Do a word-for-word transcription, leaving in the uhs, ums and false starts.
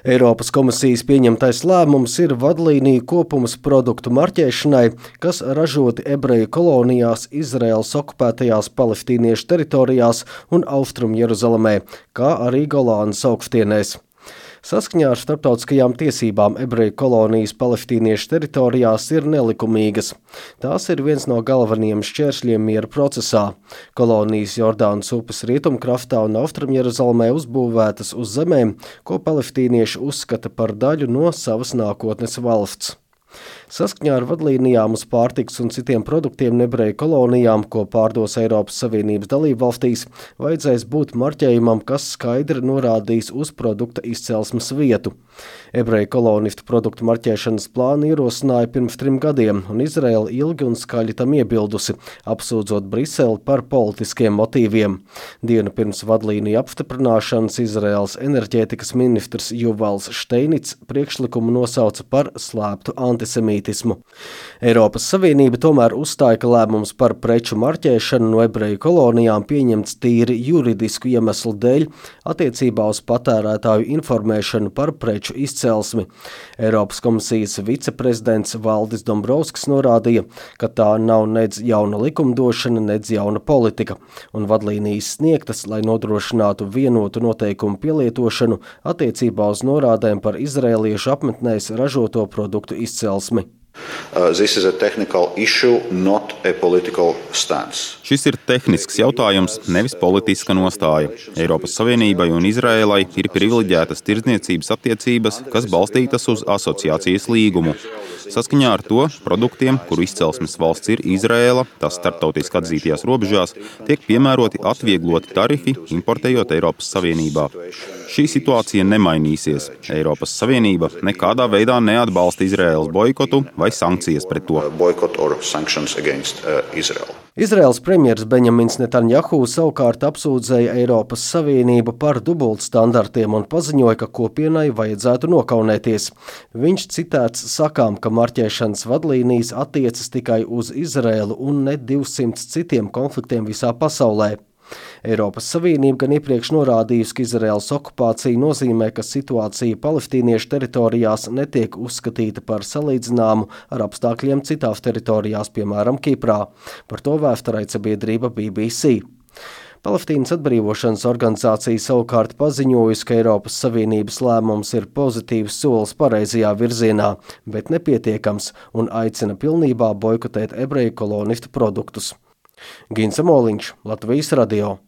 Eiropas komisijas pieņemtais lēmums ir vadlīniju kopums produktu marķēšanai, kas ražoti ebreju kolonijās, Izraēlas okupētajās palestīniešu teritorijās un Austrumu Jeruzalemē, kā arī Golānas augstienēs. Saskaņā ar starptautiskajām tiesībām ebreju kolonijas palestīniešu teritorijās ir nelikumīgas. Tās ir viens no galvenajiem šķēršļiem miera procesā. Kolonijas Jordānas upes rietumkrastā un Austrumjeruzalemē uzbūvētas uz zemēm, ko palestīnieši uzskata par daļu no savas nākotnes valsts. Saskaņā ar vadlīnijām uz pārtikas un citiem produktiem ebreju kolonijām, ko pārdos Eiropas Savienības dalībvalstīs, vajadzēs būt marķējumam, kas skaidri norādīs uz produkta izcelsmes vietu. Ebreju kolonistu produktu marķēšanas plānu ierosināja pirms trim gadiem, un Izraēla ilgi un skaļi tam iebildusi, apsūdzot Briseli par politiskiem motīviem. Dienu pirms vadlīniju apstiprināšanas Izraēlas enerģētikas ministrs Juvals Šteinits priekšlikumu nosauca par slēptu antisemītismu. Eiropas Savienība tomēr uzstāja, ka lēmums par preču marķēšanu no ebreju kolonijām pieņemts tīri juridisku iemeslu dēļ attiecībā uz patērētāju informēšanu par preču izcelsmi. Eiropas komisijas viceprezidents Valdis Dombrovskis norādīja, ka tā nav nedz jauna likumdošana, nedz jauna politika, un vadlīnijas sniegtas, lai nodrošinātu vienotu noteikumu pielietošanu attiecībā uz norādēm par izraēliešu apmetnēs ražoto produktu izcelsmi. Uh, this is a technical issue, not a political stance. Šis ir tehnisks jautājums, nevis politiska nostāja. Eiropas Savienībai un Izraēlai ir privileģētas tirdzniecības attiecības, kas balstītas uz asociācijas līgumu. Saskaņā ar to produktiem, kuru izcelsmes valsts ir Izraēla, tās starptautiski atzītajās robežās, tiek piemēroti atviegloti tarifi, importējot Eiropas Savienībā. Šī situācija nemainīsies. Eiropas Savienība nekādā veidā neatbalsta Izraēlas boikotu vai sankcijas pret to. Izraēlas premjers Benjamins Netanjahu savukārt apsūdzēja Eiropas Savienību par dubultstandartiem un paziņoja, ka kopienai vajadzētu nokaunēties. Viņš citēts sakām, ka marķēšanas vadlīnijas attiecas tikai uz Izraēlu un ne divsimts citiem konfliktiem visā pasaulē. Eiropas Savienība gan iepriekš norādījusi, ka Izraēlas okupācija nozīmē, ka situācija palestīniešu teritorijās netiek uzskatīta par salīdzināmu ar apstākļiem citās teritorijās, piemēram, Kiprā. Par to vēsturraida sabiedrība B B C. Palestīnas atbrīvošanas organizācija savukārt paziņojusi, ka Eiropas Savienības lēmums ir pozitīvs solis pareizajā virzienā, bet nepietiekams, un aicina pilnībā boikotēt ebreju kolonistu produktus. Gins Moliņš, Latvijas radio.